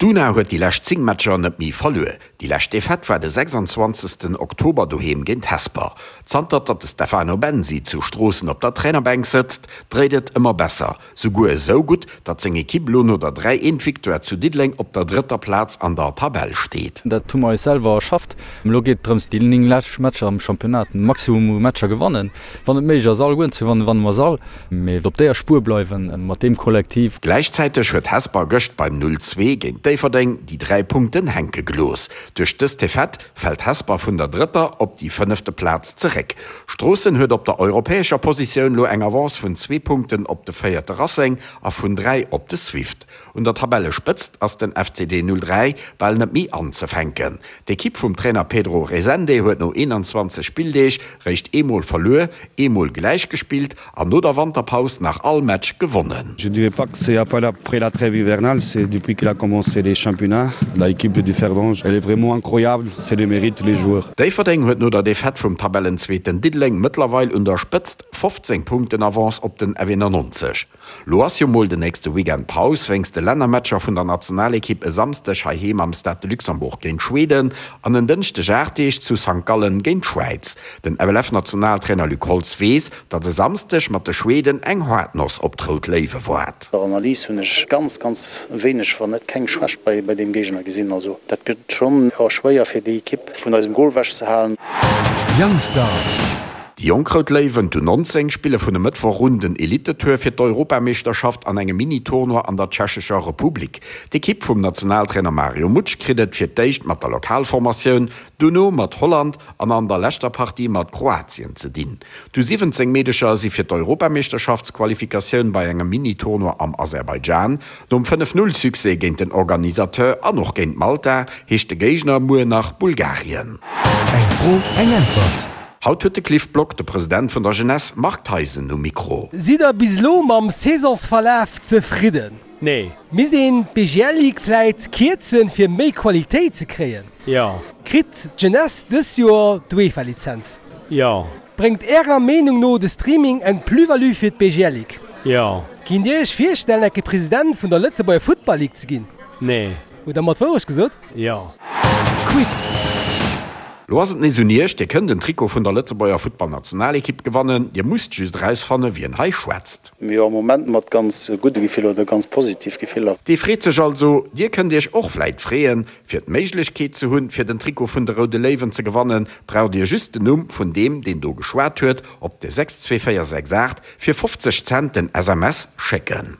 D'Una huet déi lescht 10 Matcher net méi verluer. Déi lescht Defaite war de 26 Oktober doheem géint Hesper. Zanter datt de Stefano Bensi zu Stroossen op der Trainerbänk sëtzt, dréit et ëmmer besser. Souguer esou gutt, datt seng Ekipp elo no der 3, 1 Victoire zu Diddeleng op der drëtter Plaz an der Tabell steet. Dat hu mer eis selwer erschafft. Elo geet et drëms, déi 9 lescht Matcher am Championnat den Maximum u Matcher gewannen. Wann et méiglech ass, allegueren ze gewannen, wanne mer se all. Mee op déier Spuer bleiwen mat deem Kollektiv. Gläichzäiteg huet Hesper gëscht beim 0, 2 géint Déifferdeng déi 3 Punkten hänke gelooss. Duerch dës Defaite fält Hesper vun der drëtter op déi fënnefte Plaz zeréck. Stroossen huet op der europäescher Positioun lo eng Avance vun zwee Punkten op de véierte Racing a vun 3 op de Swift. Un der Tabellespëtzt ass den FCD 03 bal net méi anzefänken. D'Ekipp vum Trainer Pedro Resende huet no 21 Spilldeeg réischt eemol verluer, eemol gläich gespillt an no der Wanterpaus nach all Match gewonnen. Je dirais pas que c'est après la trêve hivernale, c'est depuis qu'il a commencé les championnats, l'équipe de Differdange, elle est vraiment incroyable, c'est le mérite les joueurs. Déifferdeng huet no der Defaite vum Tabellenzweeten Diddeleng mëttlerweil un der Spëtzt 15 Punkten Avance op den F91. Lo ass jo mol den nächste Weekend Paus wéinst de Lännermatcher vun der Nationalekipp e Samsdeg heiheem am Stade de Luxembourg géint Schweden an en Dënschdeg 8 Deeg zu Sankt Gallen géint d'Schwäiz. Den FLF-Nationaltrainer Luc Holtz weess, datt e Samsdeg mat de Schweden eng haart Noss op d'Rout Léiwe waart. Der Analys hunn ech ganz, ganz wéineg, wann net keng Schwächt bei deem Géigner gesinn. Also dat gëtt schonn schwéier fir déi Ekipp vun eisem Gol wech ze halen. Youngstar. Déi jonk Rout Léiwen, d'U 19, spille vun e Mëttwoch un den Elitetour fir d'Europameeschterschaft an engem Mini-Tournoi an der Tschechescher Republik. D'Ekipp vum Nationaltrainer Mario Mutsch kritt et fir d'éischt mat der Lokalformatioun, dono mat Holland an an der leschter Partie mat Kroatien ze dinn. D'U 17 Meedecher si fir d'Europameeschterschaftsqualifikatioun bei engem Mini-Tournoi am Aserbaidschan. Nom 5, 0 Succès géint den Organisateur an och géint Malta heescht de Géigner muer nach Bulgarien. Eng Fro, eng Äntwert. Haut huet de Cliff Block de President vun der Jeunesse Marc Theisen um Mikro. Sidd der bis elo mam Saisonsverlaf zefridden? Nee. Misst een d'BGL Ligue vläit kierzen fir méi Qualitéit ze kréien? Jo. Kritt d'Jeunesse dës Joer d'UEFA Lizenz? Jo. Bréngt ärer Meenung no de Streaming eng Plus-value fir d'BGL Ligue? Jo. Kinnt dir iech virstellen enke President vun der Lëtzebuerger Futtball Ligue ze ginn? Nee. Hutt der mer d'Wourecht gesot? Jo. Quiz. Lo ass et nees un iech, Dir kënnt en Trikot vun der Lëtzebuerger Futtballnationalekipp gewannen. Dir musst just erausfanne wien hei schwätzt. Jo, am Moment mat ganz gudde Gefiller oder ganz positiv Gefiller. Dee freet sech also. Dir kënnt iech och vläit freeën. Fir d'Méiglechkeet ze hunn, fir den Trikot vun de Roude Léiwen ze gewannen, braucht dir just den Numm vun deem, deen do geschwat huet, op de 62468 fir 50 Cent den SMS schécken.